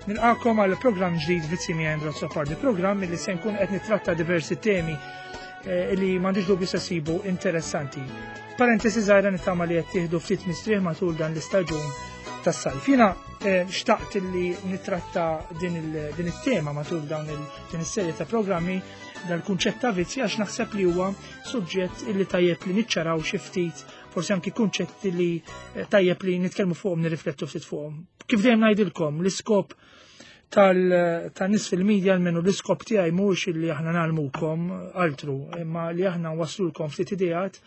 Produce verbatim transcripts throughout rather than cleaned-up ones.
Nilqakom għal programm ġdid Vizzji miegħi Andrew Azzopardi, programm li se nkun qed nittratta diversi temi eh, li m'għandix dubju se sibu interessanti. Parentesi żgħira, nittama li qed tieħdu ftit mistrieħ matul dan l-istaġun tas-sajf. Jiena eh, xtaqt li nitratta din it-tema matul dawn din is-serje ta' programmi, dal-kunċett ta' vizzji, għax naħseb li huwa suġġett illi tajjeb li niċċaraw xi ftit, forsi anki kunċetti li eh, tajjeb li nitkellmu fuqhom, nirriflettu ftit fuqhom. Kif dejjem ngħidilkom, l-iskop tan-nies fil-medja, almenu l-iskop tiegħi, mhux illi aħna ngħallmukom altru, imma li aħna waslulkom ftit ideat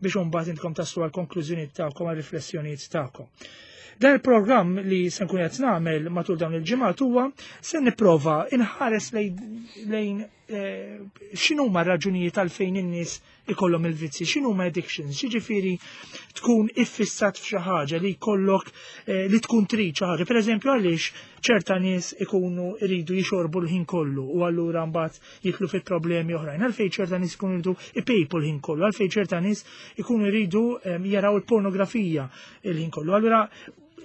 biex imbagħad intkom taslu għal konklużjonijiet tagħkom, għal riflessjonijiet tagħkom. Dan il-programm li se nkun qed nagħmel matul dawn il-ġimgħat huwa se nipprova inħares lejn eh, x'inhuma r-raġunijiet għalfejn in-nies ikollhom il-vizzi, x'inhuma addictions, jiġifieri tkun iffissat f'xi ħaġa li jkollok eh, li tkun trid xi ħaġa. Pereżempju, għaliex ċerta nies ikunu jridu jixorbu l-ħin kollu u allura mbagħad jidħlu fi problemi oħrajn? Għalfejn ċerta nies ikunu jridu ipejpu l-ħin kollu? Għalfejn ċerta nies ikunu jridu eh, jaraw il-pornografija l-ħin kollu? Allura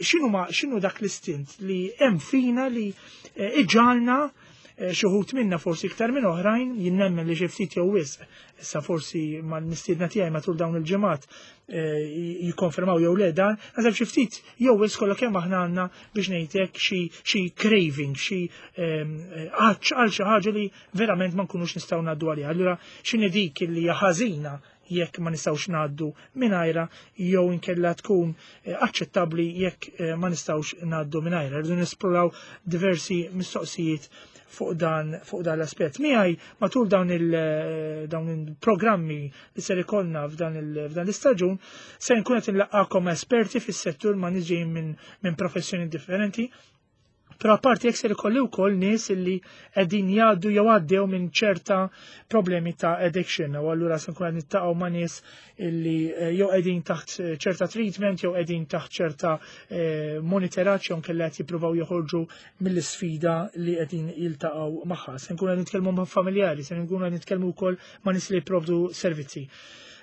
x'inhu ma x'inhu dak l-istint li hemm fina li eh, iġagħalna, eh, xi wħud minna forsi iktar minn oħrajn, jien nemmen li xi ftit jew wisq, issa forsi mal-mistiedna tiegħi matul dawn il-ġimgħat eh, jikkonfermaw jew le dan, naħseb xi ftit jew wisq kollha kemm aħna għandna, biex ngħidlek, xi xi craving, xi għatx għal xi ħaġa li verament ma nkunux nistgħu ngħaddu għaliha. Allura x'inhi dik li hija ħażina jekk ma nistgħux ngħaddu mingħajra, jew inkella tkun eh, aċċettabbli jekk eh, ma nistgħux ngħaddu mingħajra? Rridu nesploraw diversi mistoqsijiet fuq dan fuq dan l-aspett. Miegħi matul dawn il eh, dawn il-programmi li ser ikollna f'dan l-istaġun se nkun qed inlaqqakom esperti fis-settur ma' nies ġejjin minn min professjoni differenti. Però apparti jekk ser ikolli wkoll nies illi qegħdin jgħaddu jew għaddew minn ċerta problemi ta' addiction, u allura se nkun qed niltaqgħu ma' nies illi eh, jew qegħdin taħt eh, ċerta treatment jew qegħdin taħt ċerta eh, monitoraġġ jew nkella qed jippruvaw joħorġu mill-isfida li qegħdin jiltaqgħu magħha. Se nkun qed nitkellmu ma' familjari, se nkun qed nitkellmu wkoll ma' nies li jipprovdu servizzi.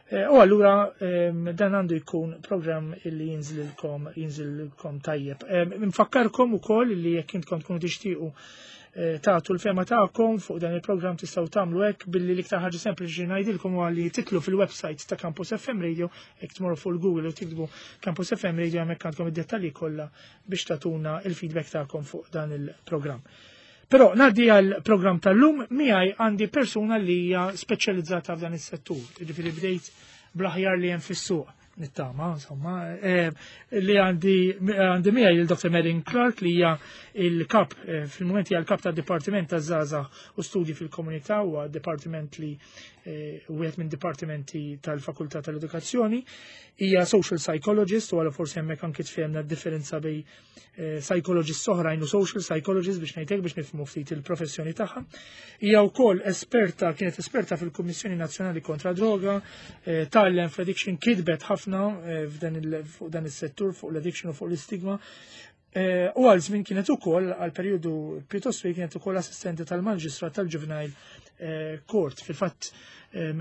Eh, u allura dan għandu jkun program illi jinżlilkom jinżlilkom tajjeb. Nfakkarkom ukoll li jekk intkom tkunu tixtiequ eh, tagħtu l-fehma tagħkom fuq dan il-programm, tistgħu tagħmlu hekk billi l-iktar ħaġa sempliċi ngħidilkom huwa li tidħlu fil-website ta' Campus F M Radio. Jekk tmorru fuq il-Google u tiktbu Campus F M Radio, hemmhekk għandkom id-dettalji kollha biex tagħtuna il-feedback tagħkom fuq dan il-programm. Però ngħaddi għal programm tal-lum. Miegħi għandi persuna li hija speċjalizzata f'dan is-settur. Jiġifieri bdejt bl-aħjar li hemm fis-suq, nittama, insomma, eh, li għandi għandi miegħi il-Doktor Marilyn Clark, li hija il-kap, eh, fil-moment hija l-kap tad-Dipartiment taż-Żgħażagħ u Studji fil-Komunità, huwa dipartiment li eh, wieħed minn dipartimenti tal-Fakultà tal-Edukazzjoni. Hija social psychologist u għala forsi hemmhekk anki tfehemna d-differenza bejn psychologist oħrajn u social psychologist, biex ngħidlek, biex nifhmu ftit il-professjoni tagħha. Hija wkoll esperta, kienet esperta fil-Kummissjoni Nazzjonali kontra Droga, tgħallem fl-addiction, kitbet ħafna f'dan fuq dan is-settur, fuq l-addiction u fuq l-istigma. U għal żmien kienet ukoll, għal perjodu pjuttost twil, kienet ukoll assistenti tal-Maġistrat tal-Juvenile Court. Fil-fatt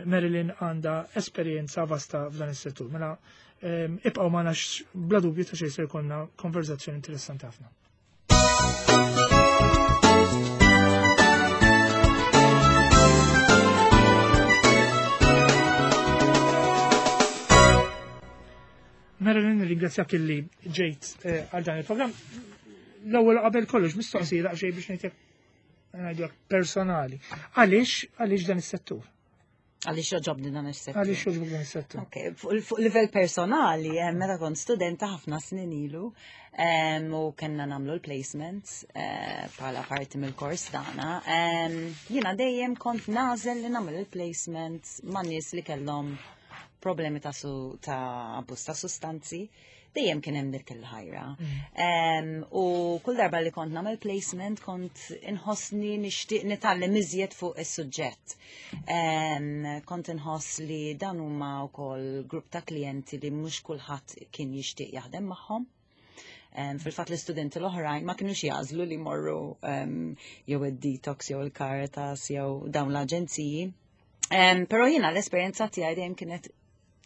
Marilyn għandha esperjenza vasta f'dan is-settur. Mela ibqgħu magħna, bla dubju ta' xejn se jkollna konverzazzjoni interessanti ħafna. Marilyn, ringrazzjak illi ġejt eh, għal dan il-programm. L-ewwel qabel kollox mistoqsija daqsxejn, biex ngħidlek ngħidlek personali. Għaliex għaliex dan is-settur? Għaliex jogħġobni dan is-settur? Għaliex jogħġbok dan is-settur? Ok, fuq livell personali, eh, meta kont studenta ħafna snin ilu u kellna nagħmlu l-placements eh, bħala parti mill-kors tagħna, jiena dejjem kont nagħżel li nagħmel il-placements ma' nies li kellhom problemi ta' su ta' abbuż ta' sustanzi, dejjem kien hemm dik il-ħajra. Mm. U kull darba li kont nagħmel placement kont inħossni nixtieq nitgħallem iżjed fuq is-suġġett. Kont inħoss li dan huma wkoll grupp ta' klijenti li mhux kulħadd kien jixtieq jaħdem magħhom. Fil-fatt l-istudenti l-oħrajn ma kienux jagħżlu li morru jew id-detox jew il-Caritas jew dawn l-aġenziji. Però jiena l-esperjenza tiegħi dejjem kienet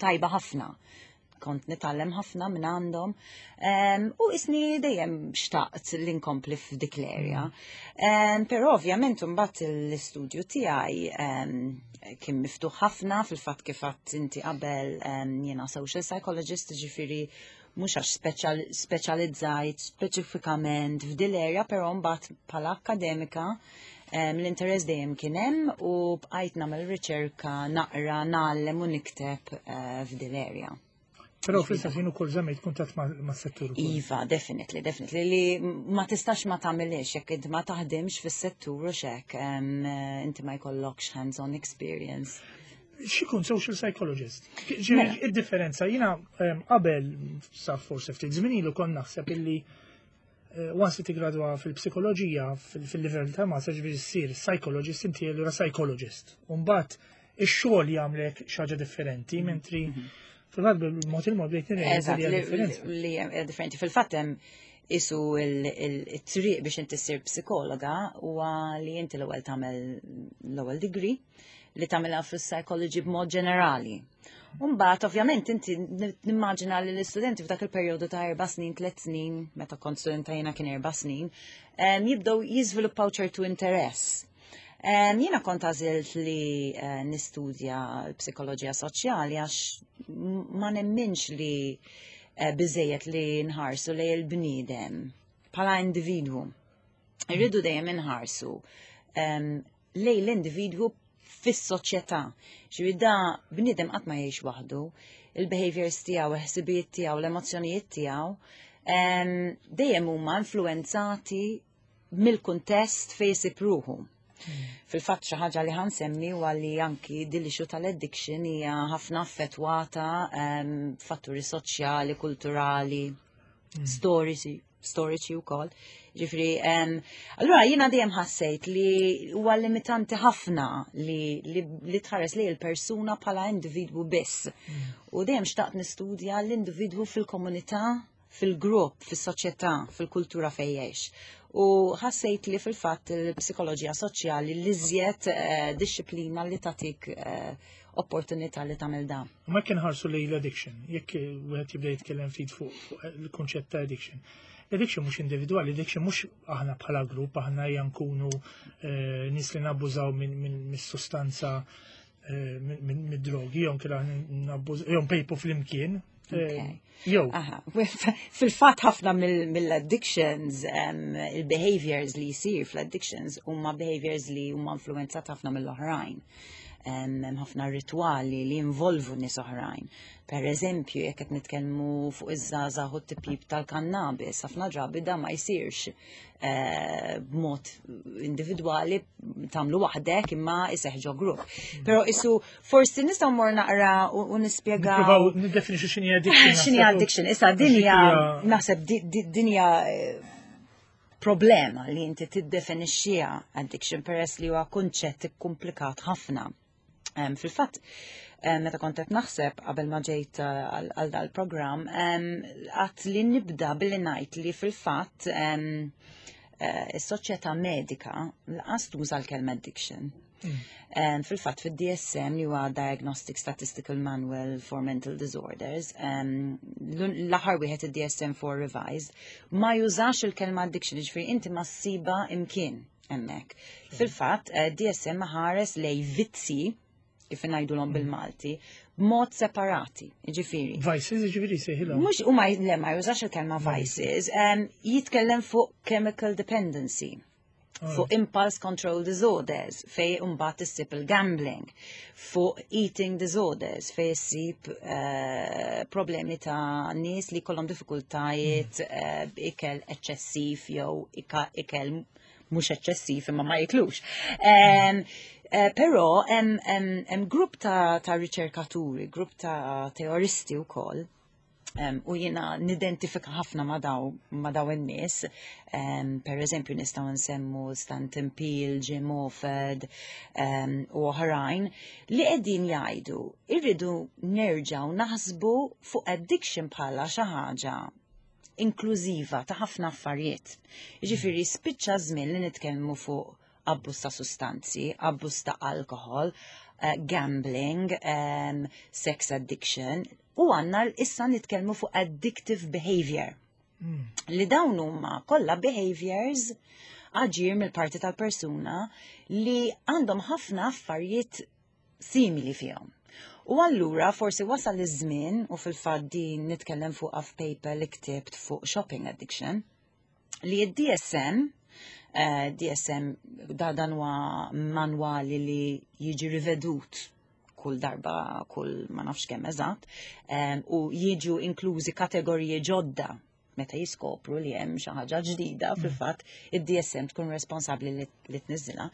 tajba ħafna. Kont nitgħallem ħafna minn għandhom. Um, u isni dejjem xtaqt li nkompli f'dik l-area. Um, Però ovvjament mbagħad l-istudju tiegħi um, kien miftuħ ħafna. Fil-fatt, kif għedt inti qabel, um, jiena social psychologist, ġifieri mhux għax speċjal, speċjalizzajt speċifikament f'dil area, però mbagħad bħala akademika um, l-interess dejjem kien hemm u bqajt nagħmel riċerka, naqra, ngħallem u nikteb uh, f'dil area. Però fl-istess ħin ukoll żammejt kuntatt ma' mas-settur ukoll. Iva, definitely, definitely, li ma tistax ma tagħmilix jekk inti ma taħdimx fis-settur u xek, um, inti ma jkollokx hands-on experience. X'ikun social psychologist? Ġifieri, Mela. id-differenza, jiena em, qabel sa forse ftit żmien ilu kont naħseb illi eh, once li tigradwa fil-psikoloġija fil- fil-livell ta' master, ġifieri ssir psychologist, inti allura psychologist. U mbagħad ix-xogħol jagħmlek xi ħaġa differenti, mentri fil-fatt bil-mod il-mod bdejt nirrealizza Eżatt, li hija li differenza. li hija differenti. Fil-fatt hemm isu il-triq biex inti ssir psikologa huwa li inti l-ewwel tagħmel l-ewwel degree li tagħmilha fis-psychology b'mod ġenerali. Umbagħad, ovvjament, inti nimmaġina li l-istudenti f'dak il-perjodu ta' erba' snin, tliet snin, meta kont studenta jiena kien erba' snin, em, jibdew jiżviluppaw ċertu interess. Em, Jiena kont għażilt li eh, nistudja l-psikoloġija soċjali għax ma nemminx li eh, biżejjed li nħarsu lejn il-bniedem bħala individwu. Irridu dejjem inħarsu em, lejn l-individwu fis-soċjetà. Ġifieri da bniedem qatt ma jgħix waħdu, il-behaviors tiegħu, il-ħsibijiet tiegħu, l-emozzjonijiet tiegħu em, dejjem huma influenzati mill-kuntest fejn isib ruħu. Fil-fatt, xi ħaġa li ħa nsemmi huwa li anki din l-issue tal-addiction hija ħafna affettwata em, fatturi soċjali, kulturali, storiċi, storiċi wkoll. Ġifieri, em, allura jiena dejjem ħassejt li huwa limitanti ħafna li, li, li tħares li l-persuna bħala individwu biss. U dejjem xtaqt nistudja l-individwu fil-komunità, fil-grupp, fis-soċjetà, fil-kultura fejn jgħix. U ħassejt li fil-fatt il-psikoloġija soċjali l-iżjed eh, dixxiplina li tatik eh, opportunità li tagħmel dan. U ma kien ħarsu li l-addiction, jekk wieħed jibda jitkellem ftit fuq fuq il-konċett ta' addiction. L-addiction mhux individwali, l-addiction mhux aħna bħala grupp, aħna ejja nkunu eh, nies li nabbużaw minn min, mis-sustanza eh, minn min, mid-drogi, jew kien aħna nabbużaw, jew npejpu flimkien. eh, Okay. Jew, Aha, fil-fatt ħafna mill- mill-addictions, um, il-behaviors li jisir fl-addictions huma behaviors li huma influenzat ħafna mill-oħrajn. Hemm ħafna rituali li involvu nies oħrajn. Per eżempju, jekk qed nitkellmu fuq iż-żgħażagħ u t-tipjip tal-kannabis, ħafna drabi da ma jsirx eh, b'mod individwali tagħmlu waħdek, imma iseħħ ġo grupp. Però isu forsi nistgħu mmur naqra u u nispjegaw. Nippruvaw niddefinixxu x'inhi addiction. X'inhi naħseb. addiction? Issa dinja, Għax hija- naħseb di- di- dinja eh, problema li inti tiddefinixxiha addiction, peress li huwa kunċett komplikat ħafna. Em, Fil-fatt, em, meta kont qed naħseb qabel ma ġejt eh, għal għal dal-programm, em, għedt li nibda billi ngħid li fil-fatt em, eh, is-soċjetà medika lanqas tuża l-kelma addiction. Um, Fil-fatt, fil-D S M, li huwa Diagnostic Statistical Manual for Mental Disorders, um, l-aħħar wieħed, id-D S M four Revised, ma jużax il-kelma addiction, ġifieri inti ma ssiba imkien hemmhekk. Fil-fatt, eh, D S M ħares lejn vizzi, kif ngħidulhom bil-Malti, b'mod separati, ġifieri. Vices, ġifieri sejħilhom. Mhux u ma le ma jużax il-kelma vices, um, jitkellem fuq chemical dependency, fuq impulse control disorders, fejn imbagħad issib il-gambling, fuq eating disorders, fejn issib uh, problemi ta' nies li kollhom diffikultajiet uh, b'ikel eċċessiv jew ika- ikel mhux eċċessiv imma ma jiklux. Um, uh, Però hemm hemm grupp ta', ta' riċerkaturi, grupp ta' teoristi wkoll, Um, u jiena nidentifika ħafna ma daw, ma daw in-nies. Um, per eżempju, nistgħu nsemmu Stanton Peele, Jim Orford um, u oħrajn li qegħdin jgħidu irridu nerġgħu naħsbu fuq addiction bħala xi ħaġa inklużiva ta' ħafna affarijiet. Jiġifieri spiċċa żmien li nitkellmu fuq abbuż ta' sustanzi, abbuż ta' alkohol, uh, gambling, um, sex addiction, u għandna issa nitkellmu fuq addictive behavior. Mm. Li dawn huma kollha behaviors, aġir mill-parti tal-persuna li għandhom ħafna affarijiet simili fihom. U allura forsi wasal iż-żmien, u fil-fatt din nitkellem fuq f'paper li ktibt fuq shopping addiction, li d-D S M, eh, D S M da dan huwa manwali li jiġi rivedut kull darba, kull ma nafx kemm eżatt, em, u jiġu inklużi kategoriji ġodda meta jiskopru li hemm xi ħaġa ġdida. Fil-fatt id-D S M tkun responsabbli li, li tniżżilha,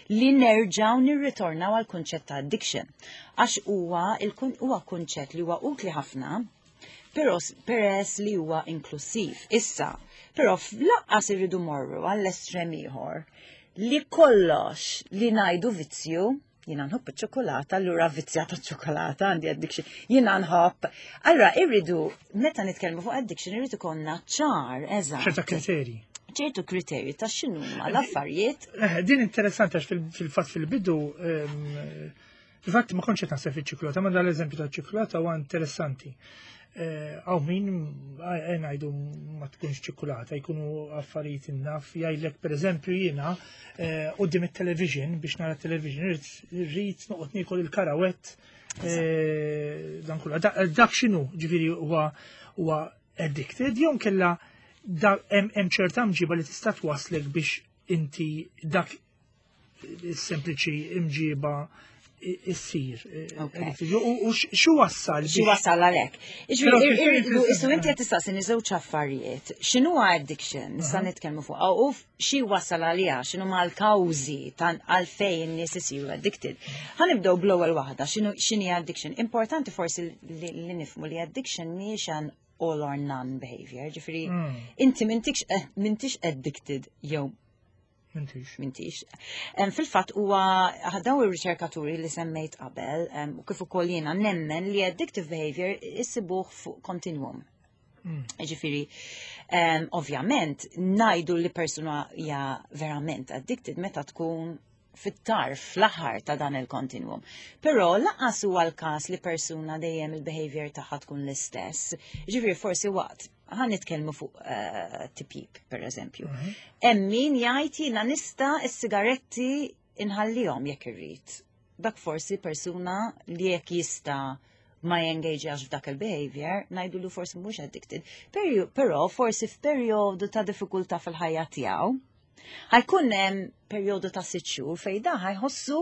li nerġgħu nirritornaw għal kunċett ta' addiction. Għax huwa il-kun huwa kunċett li huwa utli ħafna, però peress li huwa inklusiv. Issa, però lanqas irridu morru għall-estrem ieħor li kollox li ngħidu vizzju. Jiena nħobb iċ-ċokolata, allura vizzjata ċokolata, għandi addiction. Jiena nħobb. Allura irridu, meta nitkellmu fuq addiction, irridu konna ċar, eżatt. ċerta kriterji. Ċertu kriterji ta' x'inhuma l-affarijiet. Eh, din interessanti għax fil- fil-fatt fil-bidu, ehm, fil-fatt ma kontx qed naħseb fiċ-ċikolata, ma dal-eżempju ta' ċikolata huwa interessanti. Eh, Għaw min eh, ngħidu ma tkunx ċikolata, jkunu affarijiet innaf, jgħidlek, per eżempju, jiena eh, quddiem it-television, biex nara television, irrid noqgħod niekol il-karawett, eh, dan kullu. Dak x'inhu, ġifieri huwa huwa addicted jew kella hemm ċerta mġiba li tista' twaslek biex inti dak sempliċi imġiba issir? U xu wassal? Xi wassal għalhekk? Ġifieri, inti qed tistaqsini żewġ affarijiet. X'inhu addiction? Nista' nitkellmu fuq u xi wassal għaliha, x'inhu mal-kawżi għalfejn in-nies isiru addicted. Ħa nibdew bl-ewwel waħda, x'inhi addiction. Importanti forsi li nifhmu li addiction mhijiex an all or none behavior. Ġifieri, mm. inti eh, m'intix addicted jew M'intix. M'intix. Fil-fatt huwa daw ir-riċerkaturi li semmejt qabel u kif ukoll jiena nemmen li addictive behavior issibuh fuq continuum. Mm. Ġifieri, ovvjament, ngħidu li persuna hija verament addicted meta tkun fit-tarf, fl-aħħar ta' dan il-continuum. Però lanqas huwa l-każ li persuna dejjem il-behavior tagħha tkun l-istess. Ġifieri forsi waqt ħa nitkellmu fuq uh, tipjip, per eżempju. Mhm. Hemm min jgħid, "Jiena nista' s-sigaretti inħallihom jekk irrid." Dak forsi persuna li jekk jista' ma jengaġax f'dak il-behavior, ngħidu li forsi mhux addicted. Però forsi f'perjodu ta' diffikultà fil-ħajja tiegħu, ħa jkun hemm perjodu ta' sitt xhur fejn da ħa jħossu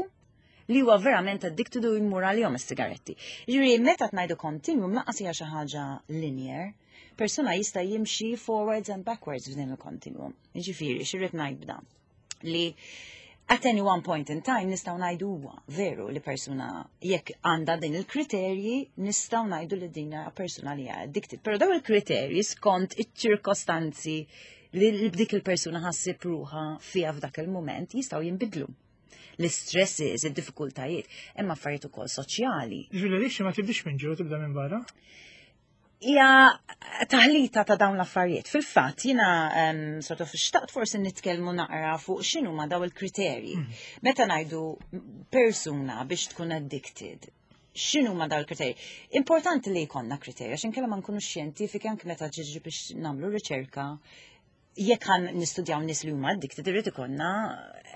li huwa verament addicted u jmur għalihom is-sigaretti. Ġifieri meta tgħidu continuum, lanqas hija xi ħaġa linear, persuna jista' jimxi forwards and backwards f'din il-continuum. Ġifieri, x'irrid ngħid b'dan? Li at any one point in time nistgħu ngħidu huwa veru li persuna jekk għandha din il-kriterji, nistgħu ngħidu li din persuna li hija addicted. Però dawn il-kriterji skont iċ-ċirkostanzi li dik il-persuna ħassib ruħha fiha f'dak il-moment jistgħu jinbidlu. L-stresses, id-diffikultajiet, hemm affarijiet ukoll soċjali. Ġifieri ma tibdix minn ġew, tibda minn barra? Hija taħlita ta' dawn l-affarijiet. Fil-fatt, jiena um, sort of xtaqt forsi nitkellmu naqra fuq x'inhu ma daw il-kriterji. Mm. Meta ngħidu persuna biex tkun addicted, x'inhu ma daw il-kriterji? Importanti li jkollna kriterji, għax inkella ma nkunu xjentifiki anke meta ġiġi biex nagħmlu riċerka. Jekk ħa nistudjaw nies li huma addicted, irid ikollna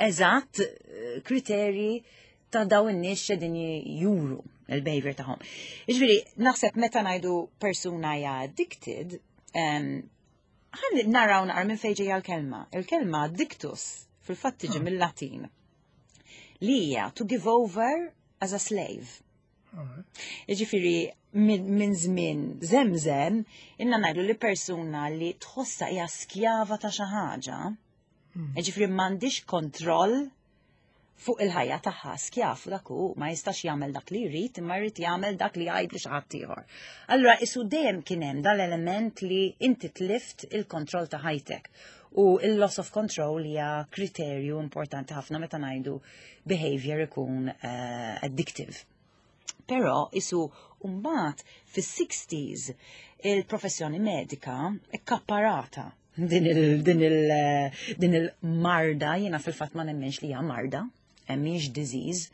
eżatt eh, kriterji ta' daw in-nies x'qegħdin juru il-behavior tagħhom. Jiġifieri, naħseb meta ngħidu persuna hija addicted, ħa naraw naqra minn fejn ġejja l-kelma. Il-kelma addictus fil-fatt tiġi ah. mill-Latin, li hija to give over as a slave. Jiġifieri minn żmien żemżem ilna ngħidu li persuna li tħossa hija skjava ta' xi ħaġa, hmm. jiġifieri m'għandix kontroll fuq il-ħajja tagħha, skjav dak hu, ma jistax jagħmel dak li jrid, imma jrid jagħmel dak li jgħid li xi ħadd ieħor. Allura isu dejjem kien hemm dal-element li inti tlift il-kontroll ta' ħajtek. U il-loss of control hija kriterju importanti ħafna meta ngħidu behavior ikun uh, addictive. Però isu mbagħad fis-sixties il-professjoni medika ikkapparata din il din il din il-marda, jiena fil-fatt ma nemmenx li hija marda. eh, mhix disease,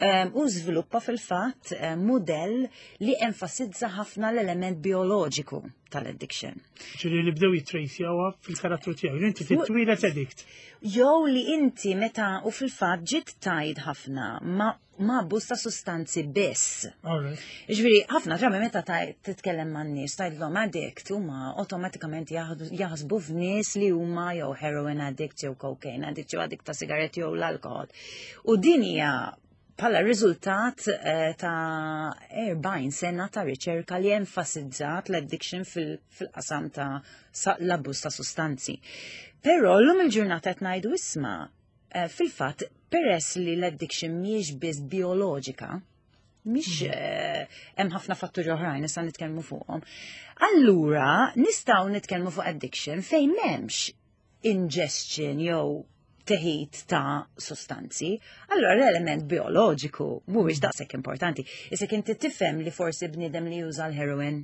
um, u żviluppa fil-fatt eh, modell li enfasizza ħafna l-element bioloġiku tal-addiction. Ġifieri li bdew jitrejsjawha fil-karattru tiegħu. Inti titwieled addict. Jew li inti meta u fil-fatt ġiet tied ħafna ma ma abbuż ta' sustanzi biss. All right. Ġifieri, ħafna drabi meta taj- titkellem man nies tgħidlhom addict huma awtomatikament jaħdu- jaħsbu f'nies li huma jew heroin addict jew cocaine addict jew addict ta' sigaretti jew l-alkohol. U din hija bħala riżultat eh, ta' erbgħin sena ta' riċerka li enfasizzat l-addiction fil- fil-qasam ta' sa- l-abbuż ta' sustanzi. Però l-lum il-ġurnata qed ngħidu, isma', eh, fil-fatt peress li l-addiction mhijiex biss bioloġika, mhix eh, hemm ħafna fatturi oħrajn issa nitkellmu fuqhom. Allura nistgħu nitkellmu fuq addiction fejn m'hemmx ingestion jew teħid ta' sostanzi, allora l-element bioloġiku mhuwiex daqshekk importanti. Issa inti tifhem li forsi bniedem li juża l-heroin,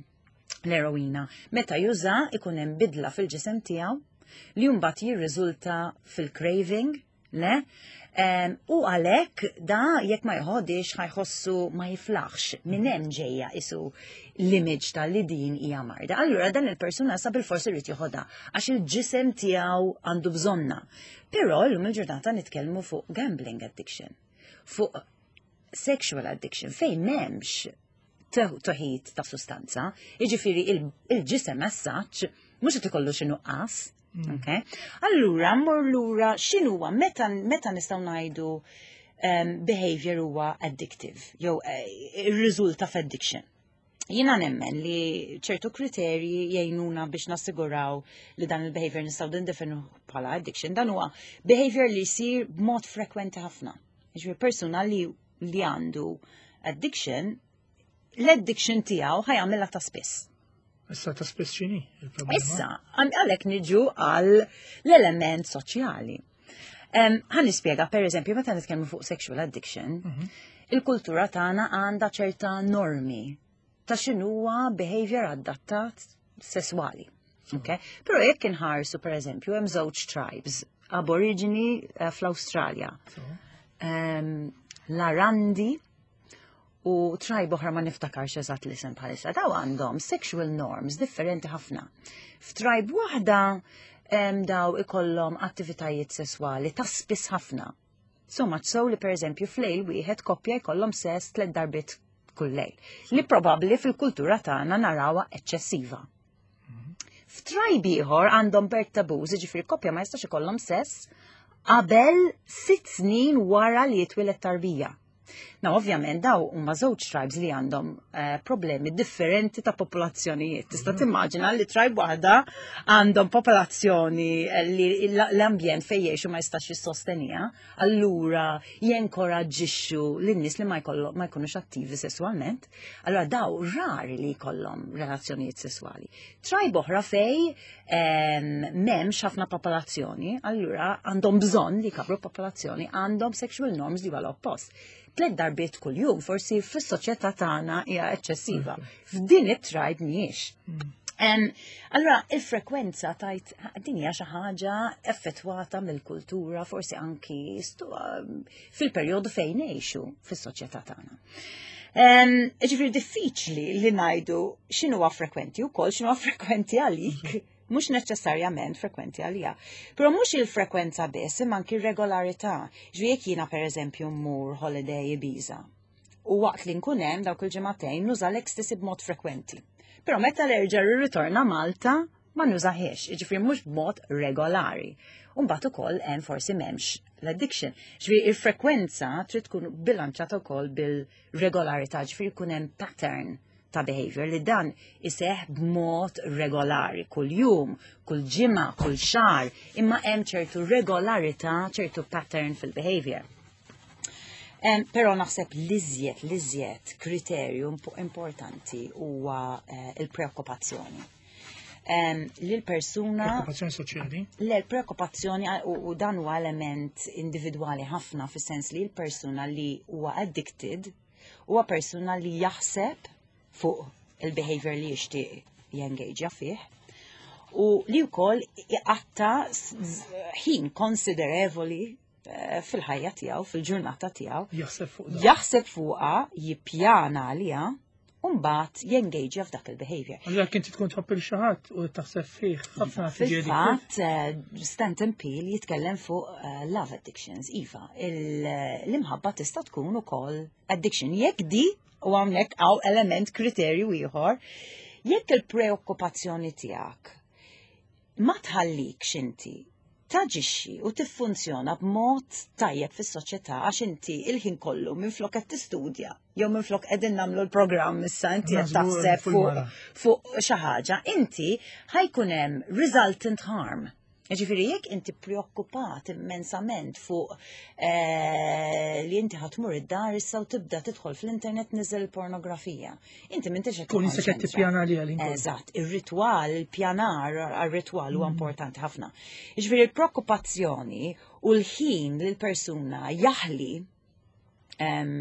l-eroina, meta juża ikun hemm bidla fil-ġisem tiegħu li mbagħad jirriżulta fil-craving, le? Em, u għalhekk da jekk ma jħodix ħa jħossu ma jiflaħx, minn hemm ġejja isu l-image ta' li din hija marda. Allura dan il-persuna sa bil-forsi rrid joħodha għax il-ġisem tiegħu għandu bżonna. Però llum il-ġurnata nitkellmu fuq gambling addiction, fuq sexual addiction fejn m'hemmx teħid ta' sustanza, jiġifieri il-ġisem as such mhux qed ikollu xi nuqqas. Okay? Allura, mmur lura x'inhuwa meta meta nistgħu ngħidu um, behavior huwa addictive, jew uh, irriżulta f'addiction? Jiena nemmen li ċertu kriterji jgħinuna biex nassiguraw li dan il-behavior nistgħu nindefinu bħala addiction. Dan huwa behavior li jsir b'mod frekwenti ħafna. Ġifieri persuna li li għandu addiction, l-addiction tiegħu ħa jagħmilha ta' spiss. Issa ta' spiss x'inhi il-problema? Issa, għalhekk niġu għal l-element soċjali. Ħa nispjega, per eżempju, meta nitkellmu fuq sexual addiction, mhm. il-kultura tagħna għandha ċerta normi ta' x'inhuwa behavior adattat sesswali. Okay? Però jekk inħarsu, per eżempju, hemm żewġ tribes, aborigini eh, fl-Awstralja. L-Arandi u tribe oħra ma niftakarx eżatt l-isem bħalissa. Daw għandhom sexual norms differenti ħafna. F'tribe waħda daw ikollhom attivitajiet sesswali ta' spiss ħafna. So much so li, per eżempju, f'lejl wieħed koppja jkollhom sess tliet darbiet kull lejl. Li probabbli fil-kultura tagħna narawha eċċessiva. F'tribe ieħor għandhom birth taboos, jiġifieri koppja ma jistax ikollhom sess qabel sitt snin wara li jitwieled tarbija. Now, ovvjament, daw huma żewġ tribes li għandhom uh, problemi differenti ta' popolazzjonijiet. Tista' mhm. timmaġina li tribe waħda għandhom popolazzjoni li l-ambjent fejn jgħixu ma jistax jissosteniha, allura jenkoraġġixxu lin-nies li ma ma jkunux attivi sessualment. Allura daw rari li jkollhom relazzjonijiet sessuali. Tribe oħra fej m'hemmx ħafna popolazzjoni, allura għandhom bżonn li jkabru popolazzjoni, għandhom sexual norms li huwa l-oppost. Tliet darbiet kuljum forsi fis-soċjetà tagħna hija eċċessiva. F'din it-tribe mhijiex. Em, Allora, il-frekwenza tajt din hija xi ħaġa effettwata mill-kultura, forsi anki stu- fil-perjodu fejn ngħixu fis-soċjetà tagħna. Em, Ġifieri diffiċli li ngħidu x'inhuwa frekwenti wkoll x'inhuwa frekwenti għalik, mhux neċessarjament frekwenti għalija. Però mhux il-frekwenza biss, imma anki r-regolarità. Ġifieri jekk jiena, pereżempju, mmur holiday Ibiza u waqt li nkun hemm dawk il-ġimagħtejn nuża l-ecstasy b'mod frekwenti. Però meta nerġa' rritorna Malta ma nużahiex, jiġifieri mhux b'mod regolari. U mbagħad ukoll hemm forsi m'hemmx l-addiction. Ġifieri il-frekwenza trid tkun bilanċata wkoll bil-regolarità, ġifieri jkun hemm pattern ta' behavior li dan iseħ b'mod regolari, kull jum, kull ġimgħa, kull xahar, imma hemm ċertu regolarità, ċertu pattern fil-behavior. Um, Però naħseb l-iżjed, l-iżjed kriterju impo- importanti huwa uh, il-preokkupazzjoni. Um, li l-persuna Preokkupazzjoni soċjali. Le, l-preokkupazzjoni u, u dan huwa element individwali ħafna, fis-sens li l-persuna li huwa addicted huwa persuna li jaħseb fuq il-behavior li jixtieq jengaġa fih u li wkoll iqatta s- z- ħin konsiderevoli eh, fil-ħajja tiegħu, fil-ġurnata tiegħu, Jaħseb fuq dan. Jaħseb fuqha, jippjana għaliha, u mbagħad jengaġa f'dak il-behavior. Allura inti tkun tħobb lil xi ħadd u taħseb fih ħafna tiġi. Fil-fatt, eh, Stanton Peele jitkellem fuq eh, love addictions. Iva, il- l-imħabba tista' tkun ukoll addiction. Jekk di, u hawnhekk hawn element kriterju ieħor, jekk il-preokkupazzjoni tiegħek ma tħallikx inti taġixxi u tiffunzjona b'mod tajjeb fis-soċjetà, għax inti il-ħin kollu minflok qed tistudja jew minflok qegħdin nagħmlu l-programm issa inti qed Naħsbu taħseb fuq fuq il-mara. fuq xi ħaġa, inti ħa jkun hemm resultant harm. Ġifieri jekk inti preokkupat immensament fuq eh, li inti ħa tmur id-dar issa u tibda tidħol fl-internet niżel pornografija. Inti m'intix qed Tkun issa qed tikkonċentra. tippjana għaliha l-inkun. Eżatt, ir-ritwal, il-pjanar, għal-ritwal huwa importanti ħafna. Ġifieri il-preokkupazzjoni u l-ħin li l-persuna jaħli em,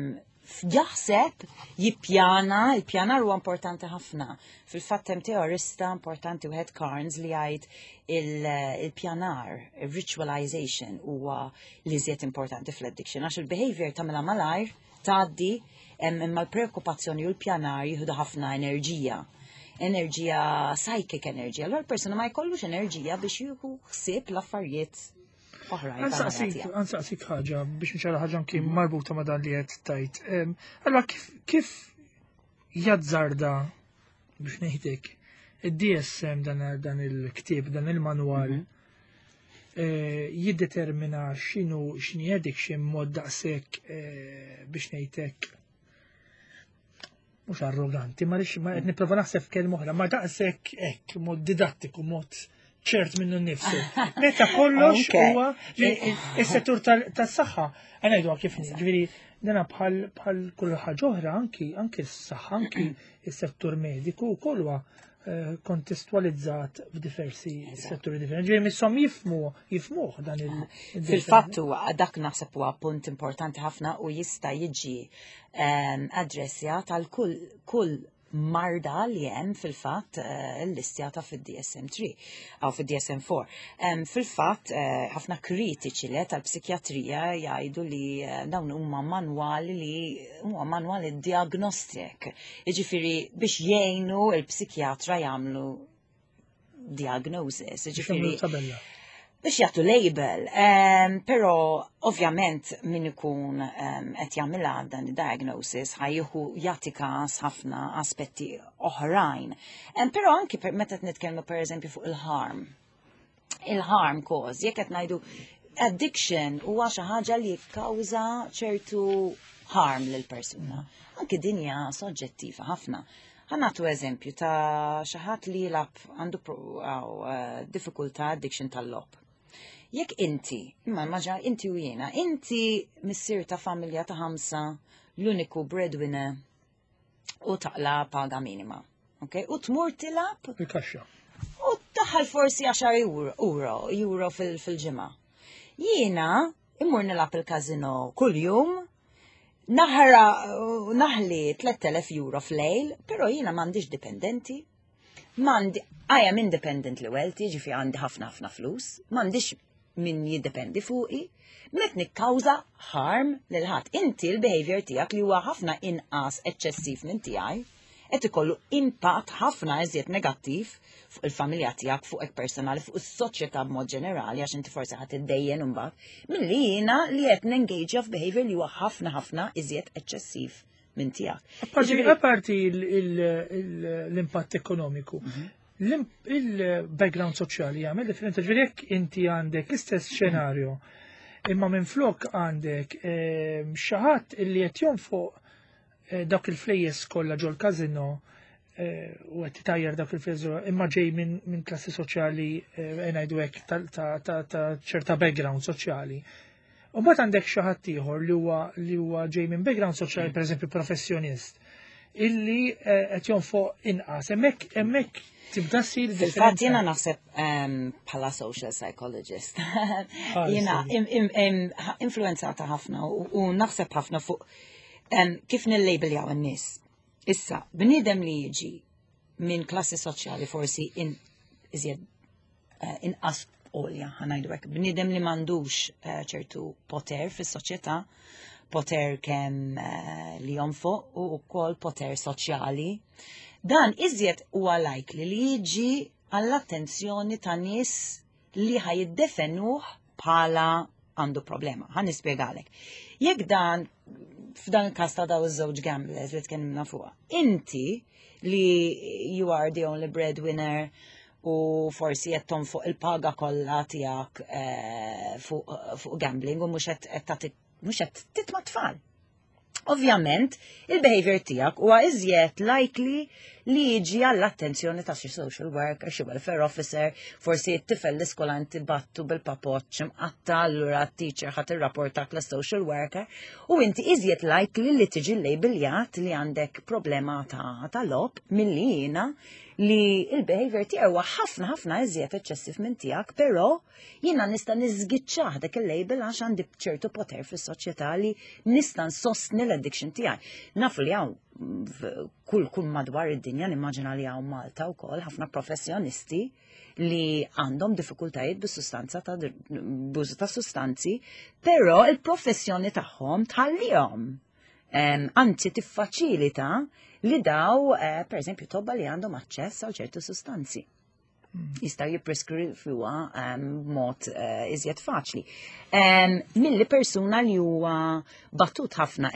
jaħseb, jippjana, il-pjanar huwa importanti ħafna. Fil-fatt hemm teorista importanti wieħed, Carnes, li jgħid il-pjanar, il-ritualization huwa li iżjed importanti fl-addiction, għax il-behavior tagħmilha malajr, tgħaddi, em, imma l-preokkupazzjoni u l-pjanar jieħdu ħafna enerġija. Enerġija, psychic energy. Allora l-persuna ma jkollux enerġija biex jieħu ħsieb l-affarijiet oħrajn tal-ħajja Nsaqsik, tiegħu. Nsaqsik ħaġa biex nċara ħaġa anki marbuta ma' dan li qed tajt. Em, Allora kif kif jazzarda, biex ngħidlek, id-D S M, dan dan il-ktieb, dan il-manwal eh, jiddetermina x'inhu x'inhi addiction mod daqshekk, eh, biex ngħidlek, mhux arroganti, ma rix ma qed nipprova naħseb f'kelma oħra, ma daqshekk hekk mod didattiku, mod ċert minnu nnifsu. Meta kollox Okay. huwa is-settur tas-saħħa. Għana ngħidu kif, ġifieri dana bħal bħal kull ħaġa oħra, anki anki s-saħħa, anki is-settur mediku wkoll huwa eh, kontestualizzat f'diversi setturi differenti. Ġifieri misshom jifhmu jifhmuh dan il Fil-fatt huwa dak, naħseb, huwa punt importanti ħafna u jista' jiġi em, addressjat għal kull kull marda li hemm fil-fatt eh, l-listjata fid-D S M three aw fid-D S M four. Em, Fil-fatt eh, ħafna kritiċi li tal-psikjatrija jgħidu li eh, dawn huma manwali li huma manwali diagnostic. Jiġifieri biex jgħinu il-psikjatra jagħmlu diagnosis. Jiġifieri tabella. Biex jagħtu label, um, però ovvjament min ikun um, qed jagħmilha dan id-diagnosis ħa jieħu jagħti każ ħafna aspetti oħrajn. Um, però anki per, meta qed nitkellmu pereżempju fuq il-harm. Il-harm cause, jekk qed ngħidu addiction huwa xi ħaġa li jikkawża ċertu harm lil persuna. Anki din hija soġġettiva ħafna. Ħa nagħtu eżempju ta' xi ħadd li jilgħab, għandu pro- aw, eh, diffikultà addiction tal-logħob. Jekk inti, imma maġa inti u jiena, inti missier ta' familja ta' ħamsa, l-uniku breadwinner u taqla paga minima. Okay? U tmur tilgħab Il-kaxxa. U daħal forsi għaxar euro, euro, euro fil- fil-ġimgħa. Jiena immur nilgħab il-kazino kull-jum, naħra naħli tliet elef euro f'lejl, pero jiena m'għandix dipendenti. M'għandi, I am independently wealthy, ġifi għandi ħafna ħafna flus, m'għandix min jiddependi fuqi, met nikkawża harm lil ħadd. Inti l-behavior tiegħek li huwa ħafna inqas eċċessiv minn tiegħi, qed ikollu impatt ħafna iżjed negattiv fuq il-familja tiegħek, fuqek personali, fuq is-soċjetà b'mod ġenerali, għax inti forsi ħadd iddejjen imbagħad, milli jiena li qed nengaġa f'behavior li huwa ħafna ħafna iżjed eċċessiv minn tiegħek. Apparti apparti il- il- il- l-impatt ekonomiku, l-im- il-background soċjali jagħmel differenza? Ġifieri jekk inti għandek l-istess xenarju, imma minn flok għandek ehm, xi ħadd illi qed jonfoq eh, dawk il-flejjes kollha ġol kazino eh, u qed titajjar dak il-flejjes, imma ġej minn min klassi soċjali, eh, ngħidu hekk, ta' ta' ta' ta' ċerta background soċjali. U mbagħad għandek xi ħadd ieħor li huwa li huwa ġej minn background soċjali, pereżempju professjonist, illi eh, qed jonfoq inqas. Hemmhekk hemmhekk tibda ssir Fil-fatt jiena naħseb em, bħala social psychologist, jiena im- im- im- influenzata ħafna u u naħseb ħafna fuq em, kif nillabeljaw in-nies. Issa, bniedem li jiġi minn klassi soċjali forsi in iżjed eh, inqas għolja, ħa ngħidu hekk, bniedem li m'għandux eh, ċertu poter fis-soċjetà, poter kemm eh, li jonfoq u wkoll poter soċjali. Dan iżjed huwa likely li jiġi għall-attenzjoni ta' nies li ħa jiddefenuh bħala għandu problema. Ħa nispjegalek. Jekk dan f'dan il-każ ta' daw iż-żewġ gamblers li tkellimna fuqha, inti li you are the only breadwinner u forsi qed tonfoq il-paga kollha tiegħek eh, fuq fuq gambling u mhux qed qed tagħti mhux qed titma' tfal. Ovvjament, il-behavior tiegħek huwa iżjed likely li jiġi għall-attenzjoni ta' xi social worker, xi welfare officer, forsi t-tifel l-iskola inti battu bil-papoċ mqatta, allura t-teacher ħa tirrapportak l social worker, u inti iżjed likely li tiġi labeljat li għandek problema ta' ta' logħob milli jiena li il-behavior tiegħu huwa ħafna ħafna iżjed eċċessiv minn tiegħek, però jiena nista' niżgiċċah dak il-label għax għandi ċertu poter fis-soċjetà li nista' nsostni l-addiction tiegħi. Nafu li hawn kull kull madwar id-dinja, nimmaġina li hawn Malta wkoll ħafna professjonisti li għandhom diffikultajiet bis-sustanza ta' b'użu ta' sustanzi, però il-professjoni tagħhom tħallihom. Anzi tiffaċilita li daw, eh, per eżempju, tobba li għandhom aċċess għal ċertu sustanzi. Jistaw jippreskrivuha b'mod eh, iżjed faċli. Milli persuna li huwa batut ħafna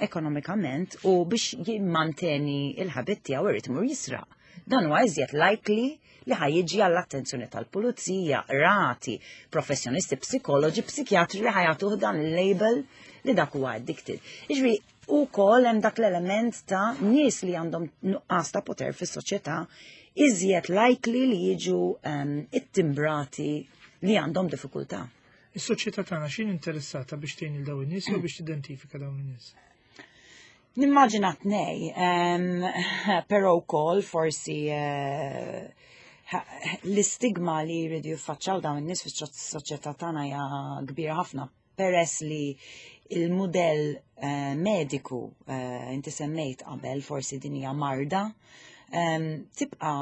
ekonomikament u biex jimmanteni il-habit tiegħu irid imur jisraq. Dan huwa iżjed likely li ħa jiġi għall-attenzjoni tal-pulizija, rati, professjonisti, psikoloġi, psikjatri li ħa jagħtuh dan il-label li dak huwa addicted. Jiġifieri, ukoll hemm dak l-element ta' nies li għandhom nuqqas ta' poter fis-soċjetà iżjed likely li jiġu um, ittimbrati li għandhom diffikultà. Is-soċjetà tagħna x'inhi interessata biex tgħin il dawn in-nies jew biex tidentifika dawn in-nies? Nimmaġina tnej, um, però wkoll forsi uh, l-istigma li jridu jiffaċċaw dawn in-nies fis-soċjetà tagħna hija kbira ħafna peress li il-modell uh, mediku uh, inti semmejt qabel forsi din hija marda, um, tibqa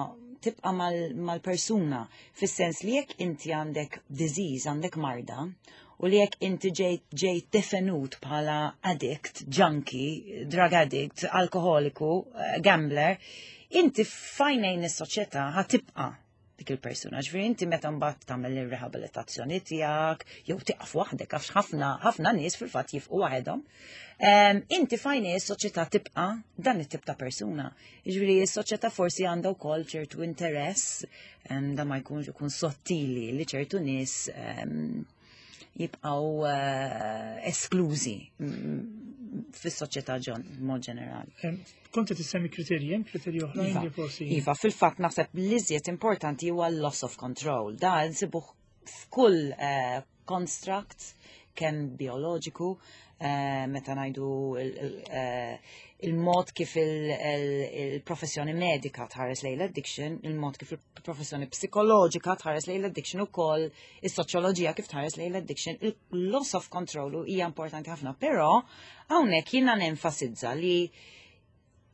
tibqa mal-persuna fis-sens li jekk inti għandek disease, għandek marda, u li jekk inti ġejt ġejt defenut bħala addict, junkie, drug addict, alkoholiku, eh, gambler, inti f'għajnejn is-soċjetà ħa tibqa' dik il-persuna. Ġifieri inti meta mbagħad tagħmel ir-rehabilitazzjoni tiegħek jew tieqaf waħdek għax ħafna ħafna nies fil-fatt jieqfu waħedhom. Inti f'għajnejn is-soċjetà tibqa' dan it-tip ta' persuna. Ġifieri s-soċjetà forsi għandha wkoll ċertu interess da ma jkunx ikun sottili li ċertu nies jibqgħu eh, esklużi fis-soċjetà mod ġenerali. Kont qed issemmi kriterji, hemm kriterji oħrajn Iva, li forsi. Iva, fil-fatt naħseb l-iżjed importanti huwa loss of control. Da nsibuh f'kull eh, construct kemm bioloġiku, eh, meta ngħidu eh, il-mod kif il-professjoni medika tħares lejn l-addiction, il-mod kif il-professjoni psikoloġika tħares lejn l-addiction ukoll is-soċjoloġija kif tħares lejn l-addiction, il-loss of control hija importanti ħafna, però hawnhekk jiena nenfasizza li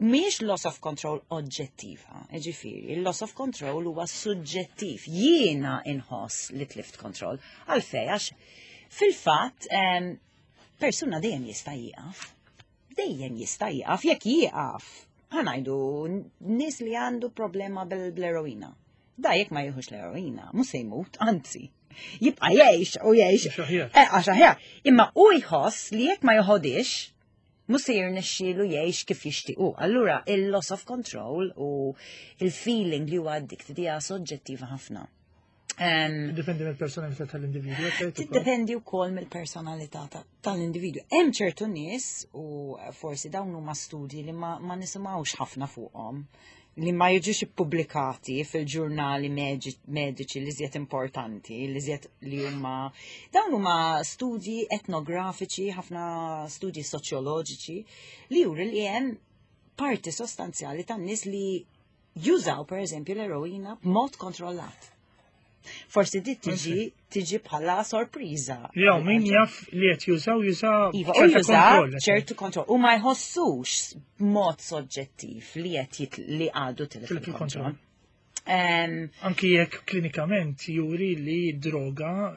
mhix loss of control oġġettiva, ġifieri, il-loss of control huwa suġġettiv. Jiena inħoss li tlift control. Għalfej, għax fil-fatt persuna dejjem jista' jieqaf. Dejjem jista' jieqaf, jekk jieqaf. Ħa ngħidu nies li għandu problema bil-eroina. Da jekk ma jieħux l-eroina, mhux se jmut, anzi. Jibqa' jgħix u jgħix. Eh, għax aħjar. Imma u jħoss li jekk ma joħodix, mhux se jirnexxielu jgħix kif jixtiequ. Allura il-loss of control u il-feeling li huwa addicted hija soġġettiva ħafna. Dipendi mill-personalità tal-individwu. Tiddependi wkoll mill-personalità tal-individwu. Hemm ċertu nies u forsi dawn huma studji li ma, ma nisimgħux ħafna fuqhom li ma jiġux ippubblikati fil-ġurnali mediċi li żjed importanti, li żjed li huma dawn huma studji etnografiċi, ħafna studji soċjoloġiċi li juri li hemm parti sostanzjali tan-nies li jużaw per eżempju l-eroina b'mod kontrollat. Forsi di tiġi tiġi bħala sorpriża. Jew min jaf li qed jużaw jużaw Iva, u jużaw ċertu kontroll. U ma jħossux b'mod soġġettiv li qed li għadu tilef il-kontroll. Um, Anki jekk klinikament juri li droga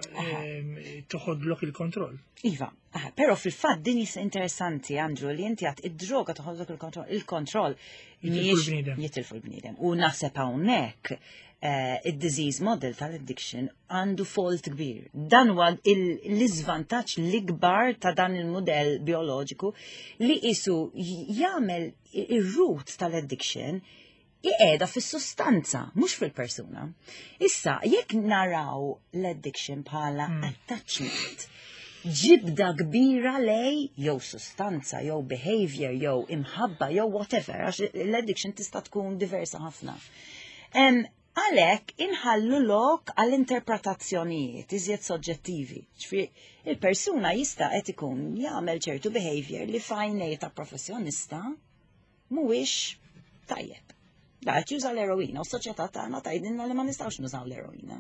toħodlok il-kontroll. Iva, aha, pero fil-fatt din hija interessanti, Andrew, li inti għedt id-droga toħodlok il-kontroll. Il-kontroll Jitilfu l-bniedem. Jitilfu l-bniedem. U naħseb hawnhekk eh, id-disease model tal-addiction għandu fault kbir. Dan huwa il- l-iżvantaġġ l-ikbar ta' dan il-modell bioloġiku li isu jagħmel ir-root tal-addiction iqiegħda fis-sustanza, mhux fil-persuna. Issa, jekk naraw l-addiction bħala Mm. attachment, ġibda kbira lej jew sustanza, jew behavior, jew imħabba, jew whatever, għax l-addiction tista' tkun diversa ħafna. Em, Għalhekk inħallu lok għall-interpretazzjonijiet iżjed soġġettivi. Ġifieri, il-persuna jista' qed ikun jagħmel ċertu behavior li f'għajnejn ta' professjonista mhuwiex tajjeb. Da qed juża l-eroina u s-soċjetà tagħna tgħidilna li ma nistgħux nużaw l-eroina.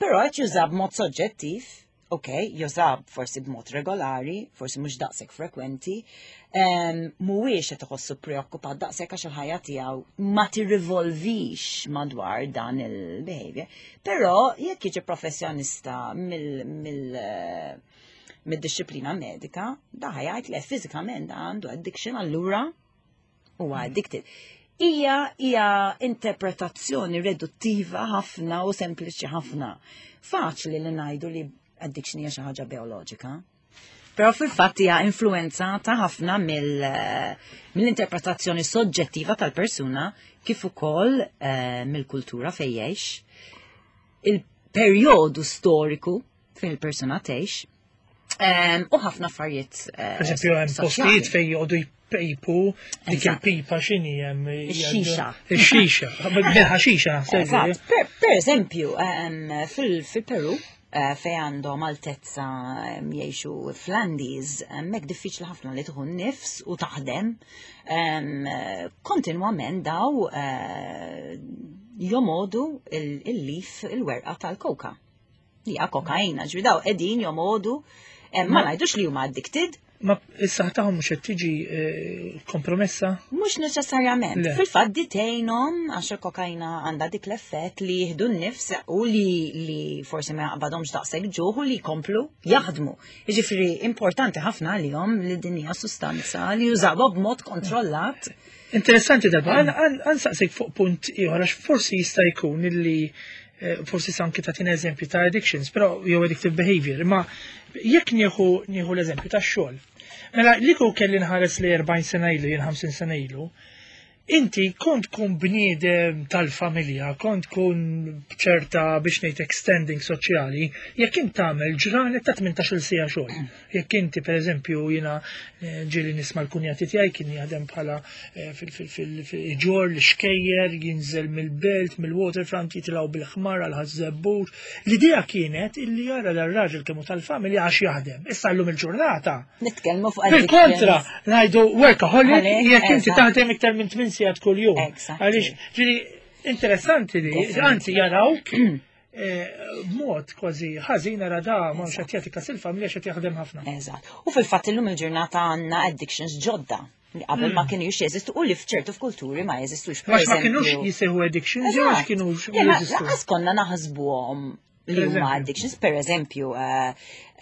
Però qed juża b'mod soġġettiv, ok, juża forsi b'mod regolari, forsi mhux daqshekk frekwenti, em, mhuwiex qed iħossu preokkupat daqshekk għax il-ħajja tiegħu ma tirrivolvix madwar dan il-behavior. Però jekk jiġi professjonista mill mill eh, mid-disciplina medika, da ħa jgħid li fiżikament da għandu addiction, allura huwa addicted. Hija hija interpretazzjoni reduttiva ħafna u sempliċi ħafna. Faċli li ngħidu li addiction hija xi ħaġa bioloġika. Però fil-fatt hija influenzata ħafna mill- mill-interpretazzjoni soġġettiva tal-persuna kif ukoll eh, mill-kultura fejn jgħix, il-perjodu storiku fejn il-persuna tgħix, em, u ħafna affarijiet eh, Per eżempju, hemm soċjali. postijiet fejn joqogħdu jpejpu dik Eżatt. il-pipa x'inhi hemm. Ix-xixa. Ix-xixa. Bil-ħaxixa naħseb. Eżatt. Per, per eżempju, em, fil- fil-Peru, eh, fej għandhom altezza em, jgħixu fl-Andes, hemmhekk diffiċli ħafna li tieħu nifs u taħdem. Em, eh, Kontinwament daw eh, jomogħdu il- il-leaf, il-werqa tal-koka. Li hija kokaina, ġifieri daw qegħdin jomogħdu, em, ma ngħidux li huma addicted, Ma is-saħħa tagħhom mhux qed tiġi eh, kompromessa? Mhux neċessarjament. Le. Fil-fatt di tgħinhom għax il-kokaina għandha dik l-effett li jieħdu n-nifs u li, li forsi ma jaqbadhomx daqshekk ġuħ u li jkomplu jaħdmu. Jiġifieri importanti ħafna għalihom li din hija sustanza li jużawha b'mod kontrollat. Interessanti darba, ħa nsaqsik fuq punt ieħor għax forsi jista' jkun illi eh, forsi anki tagħtina eżempju ta' addictions, però jew addictive behavior, imma jekk nieħu nieħu l-eżempju ta' xogħol. Mela li kieku kelli nħares li erbgħin sena ilu, jien ħamsin sena ilu, inti kont kun bniedem tal-familja, kont kun ċerta biex ngħid standing soċjali, jekk int tagħmel ġranet ta' tmintax-il siegħa xogħol. Jekk inti pereżempju jiena eh, ġieli nisma' l-kunjati tiegħi kien jaħdem bħala eh, fil-ġor l-xkejjer, jinżel mill-belt, mill-waterfront, jitilgħu bil-ħmar għal Ħaż-Żebbuġ. L-idea kienet illi jara dar-raġel kemm hu tal-familja għax jaħdem. Issa llum il-ġurnata. Nitkellmu fuq Fil-kontra, ngħidu workaholic Għalek, jekk inti eżatt. taħdem iktar minn tmien sigħat kuljum. Exactly. Għaliex, ġifieri, interessanti li, Definitely. anzi jarawk eh, b'mod kważi ħażin ara da ma mhux qed jagħti kas il-familja x'qed jaħdem ħafna. Eżatt. U fil-fatt illum il-ġurnata għandna addictions ġodda li qabel ma kienu jeżistu u li f'ċertu f'kulturi ma jeżistux. Per Għax ma kienux eżempju- jisejħu addictions, jew għax Eżatt. kienux Le, ma jeżistu. Lanqas konna naħsbuhom li Per huma eżempju. addictions. Per eżempju, eh,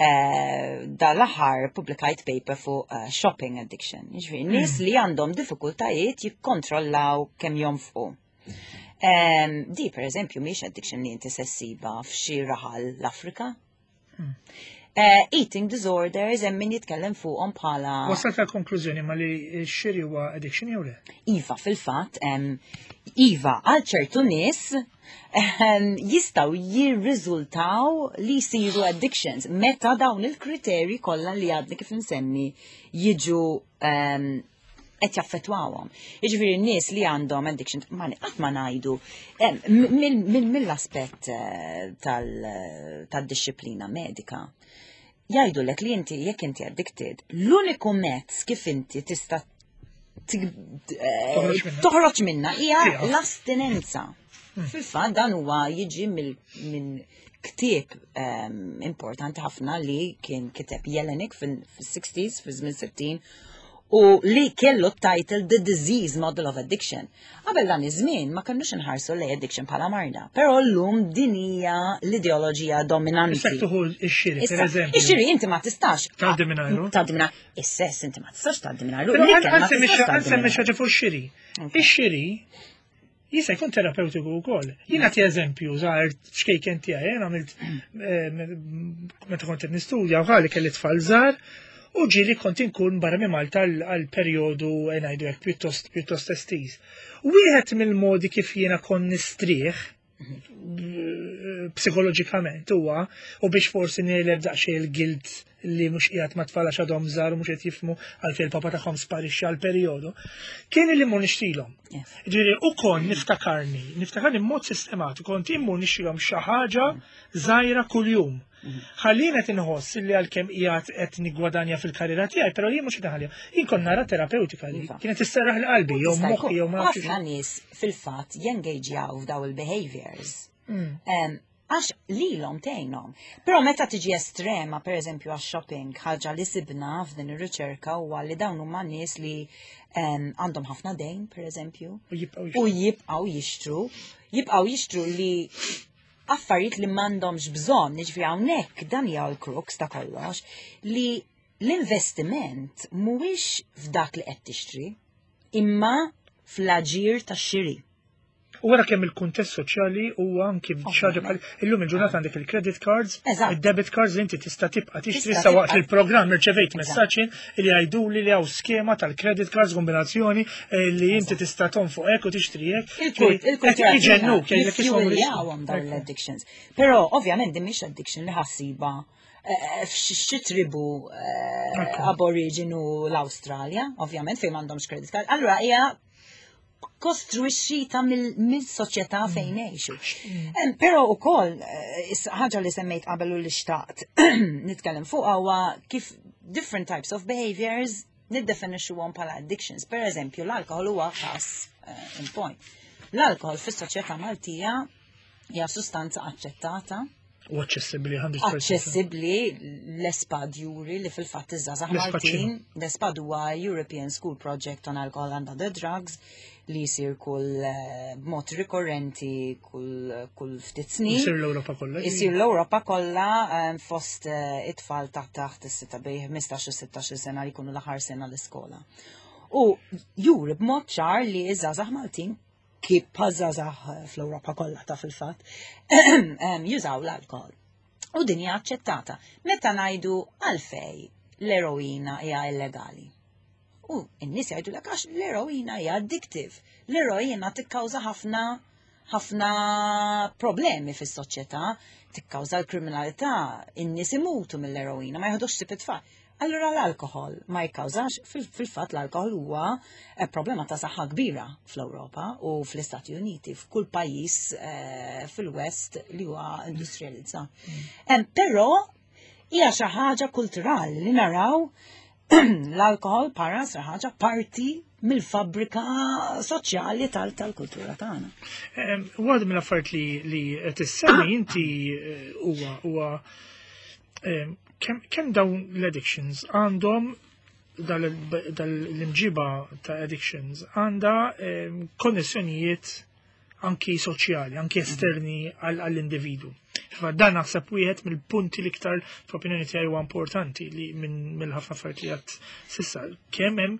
eh, dal-aħħar publikajt paper fuq eh, shopping addiction. Jiġifieri nies li għandhom diffikultajiet jikkontrollaw kemm jonfqu. Em, Di, per eżempju, mhix addiction li inti se ssibha f'xi raħal l-Afrika. Eh, eating disorders hemm min jitkellem fuqhom bħala Wasalt għal konklużjoni ma li x-xiri huwa addiction jew le? Iva, fil-fatt, em, iva, għal ċertu nies em, jistgħu jirriżultaw li jsiru addictions meta dawn il-kriteri kollha li għadni kif nsemmi jiġu em, qed jaffettwawhom. Jiġifieri n-nies li għandhom addiction, ma qatt ma ngħidu em, mill- mill- mill-aspett eh, tal- tad-disciplina medika jgħidu lek li inti jekk inti addicted, l-uniku mezz kif inti tista' tig- eh, Toħroġ minnha. toħroġ minna hija Tieqaf. l-astinenza. Fil-fatt dan huwa jiġi mill- minn ktieb em, importanti ħafna li kien kiteb Jelinek fil-sixties, fi żmien sittin, U li kellu title The Disease Model of Addiction. Qabel dan iż-żmien ma kellux inħarsu lejn addiction bħala marda. Però llum din hija l-ideoloġija dominanti. Issa tieħu ix-xiri, per eżempju. Ix-xiri inti ma tistax. Tgħaddi mingħajru. Tgħaddi mingħajru. Is-sess inti ma tistax tgħaddi mingħajru. Ħa nsemmi xi ħaġa fuq ix-xiri. Ix-xiri jista' jkun terapeutiku wkoll. Jien nagħti eżempju żgħir ċkejken tiegħi, jien għamilt eh, meta kont qed nistudja u ħalli kelli tfal żgħar u ġieli kont inkun barra minn Malta għal perjodu eh, ngħidu hekk pjuttost pjuttost estiż. Wieħed mill-modi kif jiena kont nistrieħ psikoloġikament huwa u biex forsi negħleb daqsxejn il-guilt li mhux qiegħed ma' tfal għax għadhom żgħar u mhux qed jifhmu għalfejn il-papa tagħhom sparixxa għal perjodu, kien li mmur nixtrilhom. Ġifieri u kon niftakarni, niftakarni b'mod sistematiku, kont immur nixtrilhom xi ħaġa żgħira kuljum. Ħallina qed inħoss li għalkemm qiegħed qed niggwadanja fil-karriera tiegħi, però jien mhux qed inħalliha. Jien kont nara terapeutika li Iva. kienet isserraħ l-qalbi jew Tista' moħħi jkun. jew ma nafx. Ħafna nies fil-fatt jengaġjaw f'daw il-behaviors. Mm. Em, Għax lilhom tgħinhom. Però meta tiġi estrema, per eżempju għax shopping, ħaġa li sibna f'din ir-riċerka huwa li dawn huma nies li em, għandhom ħafna dejn, per eżempju, U jibqgħu u jibqgħu jixtru, jibqgħu jixtru li affarijiet li m'għandhomx bżonn, jiġifieri hawnhekk dan hija l-crux ta' kollox, li l-investiment mhuwiex f'dak li qed tixtri, imma fl-aġir tax-xiri. U wara kemm il-kuntest soċjali huwa anki xi ħaġa bħal illum il-ġurnata għandek il-credit cards, Eżatt. il-debit cards li inti tista' tibqa' tixtri Tista' sa waqt tibqa' il-programm irċevejt Eżatt. messaġġ li jgħiduli li hawn skema tal-credit cards kombinazzjoni eh, li inti tista' tonfoq hekk u tixtri hekk. Il-kultura Iġennuk, jgħidlek ismhom jiffueljawhom dawn l-addictions. Però ovvjament din mhix addiction li ħa ssibha eh, f'xi tribu eh, Ekku. aboriginu l-Awstralja, ovvjament fejn m'għandhomx credit card. Allura hija kostruixxita mill-soċjetà fejn ngħixu. Em, Però ukoll eh, is- ħaġa li semmejt qabel u li xtaqt nitkellem fuq huwa kif different types of behaviors niddefinixxuhom bħala addictions. Per eżempju, l-alkohol huwa każ eh, in point. L-alkohol fis-soċjetà Maltija hija sustanza aċċettata, U aċċessibbli mija fil-mija. aċċessibbli l-ESPAD juri li fil-fatt iż-żgħażagħ L-ESPAD Maltin, l-ESPAD huwa European School Project on Alcohol and Other Drugs li jsir kull eh, b'mod rikorrenti kull kull ftit snin. Isir l-Ewropa kollha. Isir l-Ewropa kollha eh, fost eh, it-tfal taħt taħt is-sitta bejn ħmistax u sittax-il sena li jkunu l-aħħar sena l-iskola. U juri b'mod ċar li iż-żgħażagħ Maltin kif bħaż-żgħażagħ fl-Ewropa kollha ta' fil-fatt em, jużaw l-alkohol. U din hija aċċettata. Meta ngħidu għalfej l-eroina hija illegali. U n-nies jgħidu lek għax l-eroina hija addictive. L-eroina tikkawża ħafna ħafna problemi fis-soċjetà, tikkawża l-kriminalità, in-nies imutu mill-eroina, ma jieħdux ħsieb it-tfal. Allura l-alkohol ma jikkawżax, fil- fil-fatt l-alkohol huwa eh, problema ta' saħħa kbira fl-Ewropa u fl-Istati Uniti, f'kull pajjiż eh, fil-West li huwa industrializzat. Em, Però hija xi ħaġa kulturali li naraw l-alkohol para xi ħaġa parti mill-fabrika soċjali tal- tal-kultura tagħna. Em, Waħda mill-affarijiet li li qed issemmi inti eh, huwa huwa em, kemm kemm dawn l-addictions għandhom dal-imġiba ta' addictions għandha em, konnessjonijiet anki soċjali, anki esterni għall- għall-individu. Fa dan naħseb wieħed mill-punti l-iktar f'opinjoni tiegħi huwa importanti li minn mill-ħafna affarijiet li għedt s'issa kemm hemm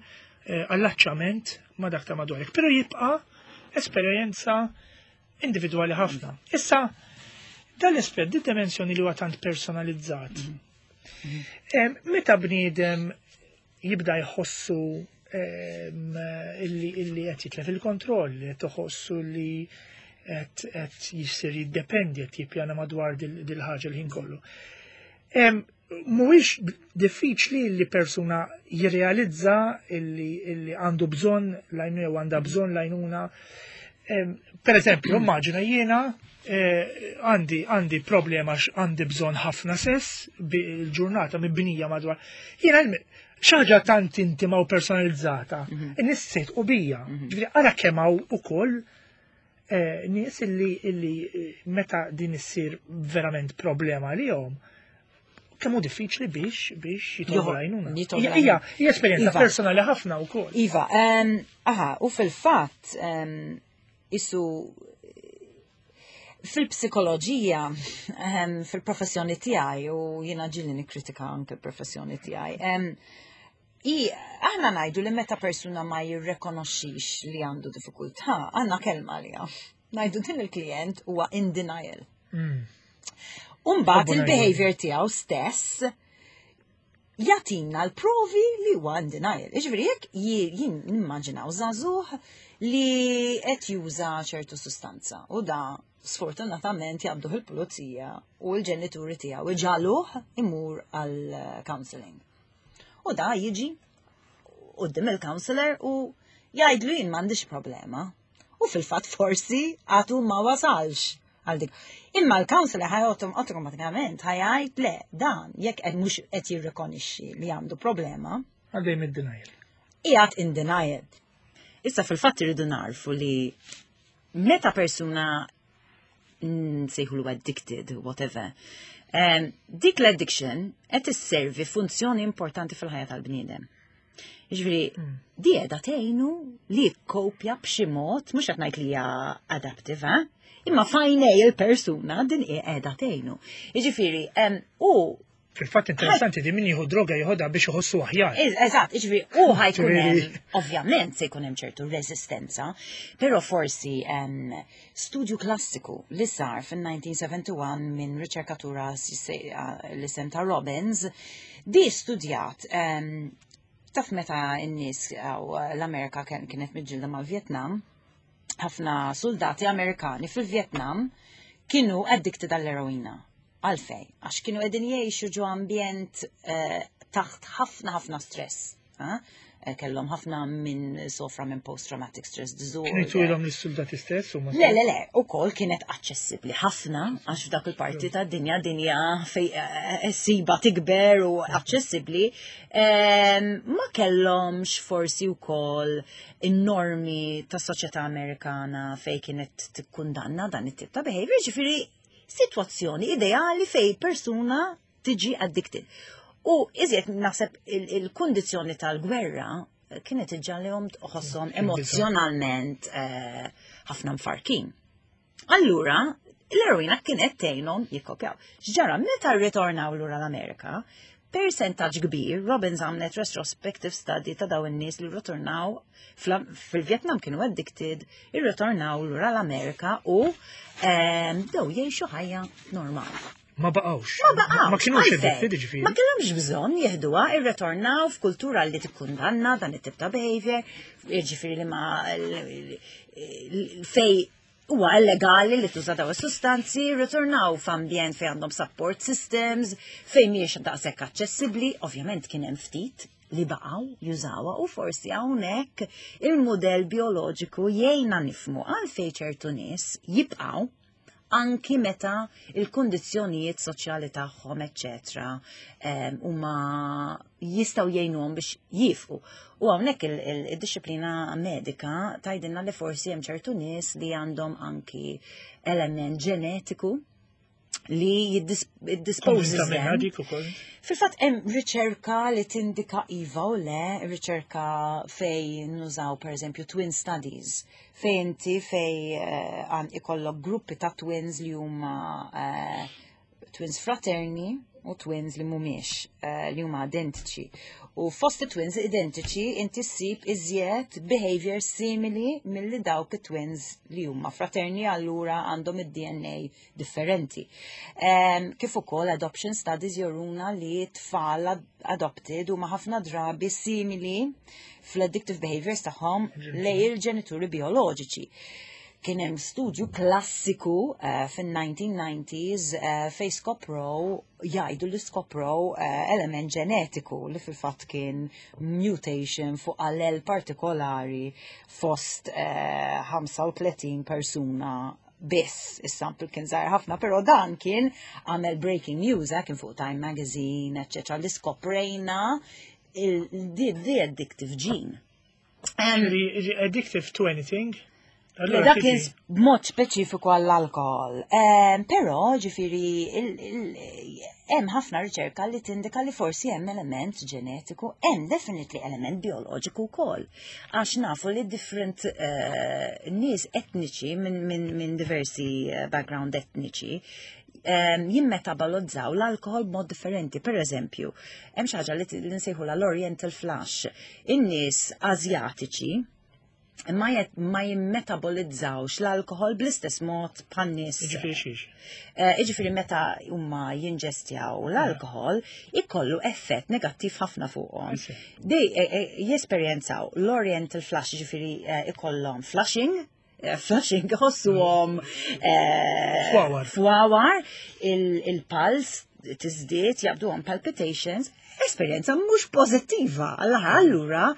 eh, allaċċament ma' dak ta' madwarek. Però jibqa' esperjenza individwali ħafna. Issa, dal-aspett, di dimensjoni li huwa tant personalizzat. Em, Meta bniedem jibda jħossu em, illi illi qed jitlef il-kontroll, li qed iħossu li qed qed jisir jiddependi qed jippjana madwar dil- dil-ħaġa l-ħin kollu. Em, Mhuwiex diffiċli li persuna jirrealizza illi, illi għandu bżonn l-għajnuna jew għandha bżonn l-għajnuna. Em, Per eżempju, immaġina jiena eh, għandi għandi problema għax għandi bżonn ħafna sess bil-ġurnata mibnija madwar. Jiena l- xi ħaġa tant intima u personalizzata, in-nies u bija. Ġifieri ara kemm hawn ukoll eh, nies illi illi eh, meta din issir verament problema lihom, Kemm hu diffiċli biex biex jitolbu Joħ- l-għajnuna. jitolbu Hija hija hija esperjenza Iva. personali ħafna wkoll. Iva, um, aha, u fil-fatt, um, isu fil-psikoloġija, um, fil-professjoni tiegħi, u jiena ġieli nikkritika anke l-professjoni tiegħi, um, i aħna ngħidu li meta persuna ma jirrekonoxxix li għandu diffikultà, għandna kelma għaliha. Ngħidu din il-klient huwa in denial. Mm. Umbagħad Ħobbu il-behavior tiegħu stess jagħtina l-provi li huwa in denial. Iġifieri jekk jien nimmaġinaw żagħżugħ li qed juża ċertu sustanza u da sfortunatament jaqbduh il-pulizija u l-ġenituri tiegħu iġagħluh imur għal counseling. U da jiġi quddiem il-counselor u jgħidlu jien m'għandix problema. U fil-fatt forsi għadu ma wasalx għal dik. Imma l-counselor ħa jgħotom automatikament ħa jgħid le dan jekk qed mhux qed jirrikonixxi li għandu problema, Għaddej mid-denial. qiegħed in denial. Issa fil-fatt irridu narfu li meta persuna nsejħulu addicted, whatever, um, dik l-addiction qed isservi funzjoni importanti fil-ħajja tal-bniedem. Jiġifieri, di qiegħda tgħinu li jikkopja b'xi mod, mhux qed ngħid li hija adaptive, eh? Imma f'għajnejn il-persuna din qiegħda tgħinu. Jiġifieri, em, u Fil-fatt interessanti di min jieħu droga jieħodha biex iħossu aħjar. Eżatt, jiġifieri, u ħa jkun hemm, Ġifieri- ovvjament se jkun hemm ċertu resistenza, però forsi em, studju klassiku li sar fin-elf disa' mija u sebgħa u sebgħin minn riċerkatura l-isem ta' Robbins, di studjat em, taf meta n-nies aw l-Amerika kien- kienet miġġielda mal-Vietnam, ħafna soldati Amerikani fil-Vietnam kienu addicted għall-eroina. Għalfej, għax kienu qegħdin jgħixu ġo ambjent eh, taħt ħafna ħafna stress. ha? Eh, Kellhom ħafna minn sofra minn post-traumatic stress disorder. Kienu jtuhilhom lis-soldati stess u ma Le, le, le, u kol kienet aċċessibbli ħafna, għax f'dak il-parti ta' dinja dinja fej eh, siba tikber u aċċessibbli, Em, ma kellhomx forsi wkoll in-normi ta' soċjetà Amerikana fej kienet tikkundanna dan it-tip ta' behavior, ġifieri situazzjoni ideali fej persuna tiġi addicted. U iżjed naħseb il- il-kondizjoni tal-gwerra kienet iġġagħalhom tħosshom emozjonalment eh, ħafna mfarkin. Allura, l-eroina kienet tgħinhom jikkopjaw. X'ġara meta rritornaw lura l-Amerika, percentaġġ kbir, Robbins għamlet retrospective study ta' daw in-nies li rritornaw fil-Vietnam kienu addicted, irritornaw lura l-Amerika u ehm, bdew jgħixu ħajja normali. Ma baqgħux. Ma baqgħux. Ma kienux għalfejn. addicted ġifieri. Ma kellhomx bżonn jeħduha, irritornaw f'kultura li tikkundanna dan it-tip ta' behavior, jiġifieri li ma fej huwa illegali li tuża daw is-sustanzi, ritornaw f'ambjent fejn għandhom support systems, fejn mhijiex daqshekk aċċessibbli, ovvjament kien hemm ftit li baqgħu jużawha u forsi hawnhekk il-mudell bioloġiku jgħinna nifhmu għalfejn ċertu nies jibqgħu anki meta il-kondizzjonijiet soċjali tagħhom, eċċetera, em, huma jistgħu jgħinuhom biex jifqu. U hawnhekk il-dixxiplina medika tgħidilna li forsi hemm ċertu nies li għandhom anki element ġenetiku li jiddisposes Konvinta minna them. dik ukoll. Fil-fatt hemm riċerka li tindika iva u le, riċerka fej nużaw per eżempju twin studies, fej inti fej eh, għan ikollok gruppi ta' twins li huma eh, twins fraterni u twins li mhumiex eh, li huma identiċi. U fost twins identiċi inti ssib iżjed behavior simili milli dawk it-twins li huma fraterni, allura għandhom id-D N A differenti. Um, kif ukoll adoption studies juruna li tfal ad- adopted huma ħafna drabi simili fl-addictive behaviors tagħhom lej il-ġenituri bioloġiċi. Kien hemm studju klassiku uh, fin-nineteen nineties uh, fej skoprow, jgħidu li skoprow uh, element ġenetiku li fil-fatt kien mutation fuq allel partikolari fost uh, ħamsa u tletin persuna biss. Is-sample kien żgħir ħafna, però dan kien għamel breaking news, eh, kien fuq Time Magazine, eccetera, li skoprejna il- the, the addictive gene. Um, Ġifieri, addictive to anything. Allura Dak kien tiġi- b'mod speċifiku għall-alkohol. Ehm, Però, ġifieri, il- il- hemm ħafna riċerka li tindika li forsi hemm element ġenetiku, hemm definitely element bioloġiku wkoll. Għax nafu li different eh, nies etniċi minn min, min diversi eh, background etniċi um, jimmetabolizzaw l-alkohol b'mod differenti. Per eżempju, hemm xi ħaġa li t- li nsejħu l-Oriental Flush. In-nies Azjatiċi ma, jet, ma jimmetabolizzawx l-alkohol bl-istess mod bħan-nies. Ġifieri xiex. Eh, Iġifieri meta huma jinġestjaw l-alkohol, ikollu effett negattiv ħafna fuqhom. Isi. Dej eh, eh, jesperjenzaw l-Oriental Flush, ġifieri eh, ikollhom flushing, eh, flushing ħossuhom eh, Fwawar. fwawar, il- il-pulse tiżdied, jabduhom palpitations, esperjenza mhux pożittiva. Alla allura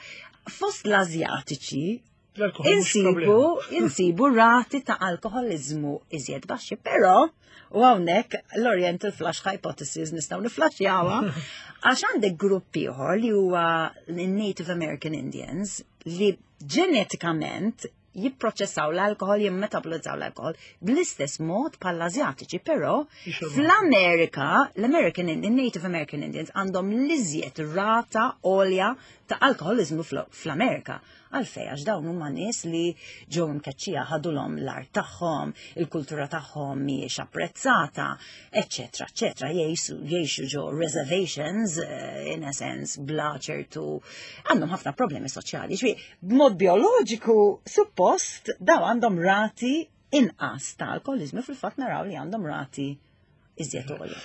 fost l-Azjatiċi L-alkohol mhux insibu, problema. insibu rati ta' alkoholizmu iżjed baxxi, però u hawnhekk l-Oriental Flush Hypothesis nistgħu niflaxjawha għax għandek grupp ieħor li huwa Native American Indians li ġenetikament jipproċessaw l-alkohol, jimmetabolizzaw l-alkohol bl-istess mod bħall-Azjatiċi, però Jixorbu. fl-Amerika, l-American Indian, Native American Indians għandhom l-iżjed rata għolja ta' alkoholizmu fl- fl-Amerika. Għalfej, għax dawn huma nies li ġew imkeċċija ħadulhom l-art tagħhom, il-kultura tagħhom mhijiex apprezzata, eċċetera, eċċetera, jgħixu jgħixu ġo reservations, eh, in a sense, bla ċertu għandhom ħafna problemi soċjali. Ġifieri, b'mod bioloġiku, suppost daw għandhom rati inqas ta' alkoholizmu, fil-fatt naraw li għandhom rati iżjed għolja.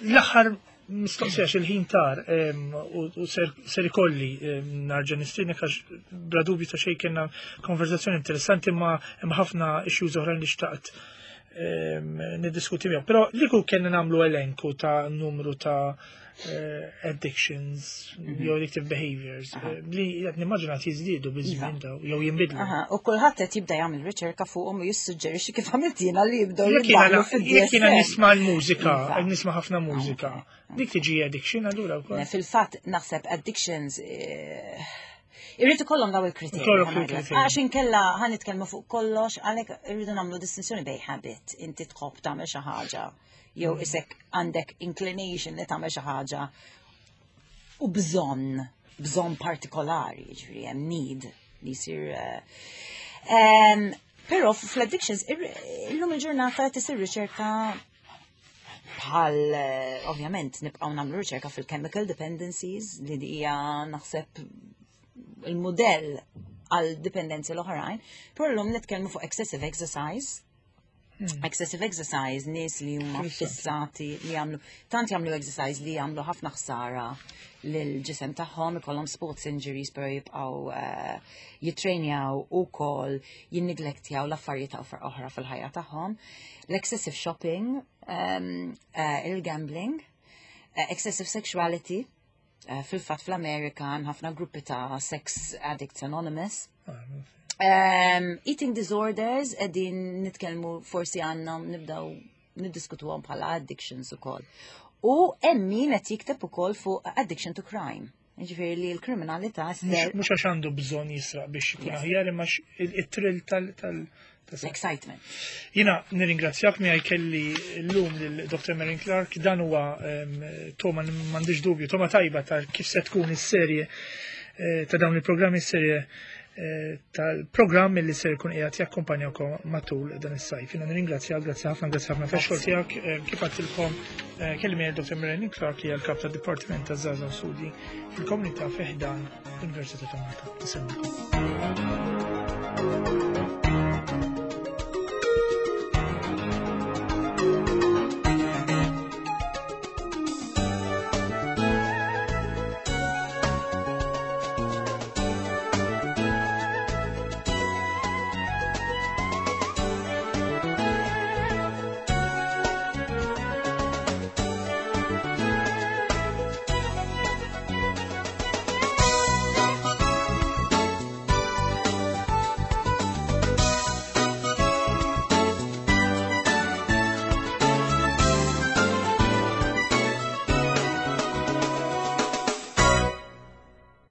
L-aħħar mistoqsija il-ħin tar em, u u ser ser ikolli em, nerġa' nistiednek għax bla dubju ta' xejn kellna konverzazzjoni interessanti ma hemm ħafna issues oħrajn li xtaqt em, niddiskuti miegħu. Però li kieku kellna nagħmlu elenku ta' numru ta' eh, addictions jew addictive behaviors eh, li qed nimmaġina jiżdiedu biż-żmien daw jew jinbidlu. Aha, u kulħadd qed jibda jagħmel riċerka fuqhom u jissuġġerixxi kif għamilt jiena li jibdew Jekk jiena jiddaħlu jekk jiena fid-D S M. nisma' l-mużika, Iva. nisma' ħafna mużika, dik tiġi addiction allura wkoll. Fil-fatt naħseb addictions eh, irrid ikollhom daw il-kriterji. Ikollok ħa ngħidlek. il-kriterji. Għax inkella ħa nitkellmu fuq kollox, għalhekk irridu nagħmlu distinzjoni bejn habit, inti tħobb tagħmel xi ħaġa, jew isek għandek inclination li tagħmel xi ħaġa u bżonn, bżonn partikolari, ġifieri hemm need li jsir. eh, em, Però fl-addictions, ir- illum il-ġurnata qed isir riċerka bħal, eh, ovvjament, nibqgħu nagħmlu riċerka fil-chemical dependencies li hija naħseb il-modell għal dipendenzi l-oħrajn, però llum nitkellmu fuq excessive exercise. Excessive exercise, nies li huma fissati li jagħmlu tant jagħmlu exercise li jagħmlu ħafna ħsara lil-ġisem tagħhom, ikollhom sports injuries però jibqgħu eh, jitrenjaw ukoll jinneglektjaw l-affarijiet oħra fil-ħajja tagħhom. L-excessive shopping, um, eh, il-gambling, eh, excessive sexuality, eh, fil-fatt fl-Amerika hemm ħafna gruppi ta' Sex Addicts Anonymous. Um, eating disorders, qegħdin nitkellmu forsi għandna nibdaw niddiskutuhom bħala addictions ukoll. U hemm min qed jikteb ukoll fuq addiction to crime. Ġifieri li l-kriminalità Mhux mhux għax għandu bżonn jisraq biex jkun aħjar imma x- il- it-thrill tal tal tas- l-excitement. Jiena nirringrazzjak miegħi kelli llum lil Doctor Marin Clark, dan huwa em, togħma m'għandix dubju, togħma tajba ta' kif se tkun is-serje eh, ta' dawn il-programmi, is-serje eh, tal-programm li ser jkun qiegħed jakkumpanjakom matul dan is-sajf. Jiena nirringrazzjak, grazzi ħafna, grazzi ħafna tax-xogħol tiegħek. Eh, Kif għedtilkom eh, kelli miegħi Doctor Marin Clark li hija l-kap tad-Dipartiment ta' Żgħażagħ u Studji fil-Komunità fi ħdan l-Università ta' Malta. Insellmilkom.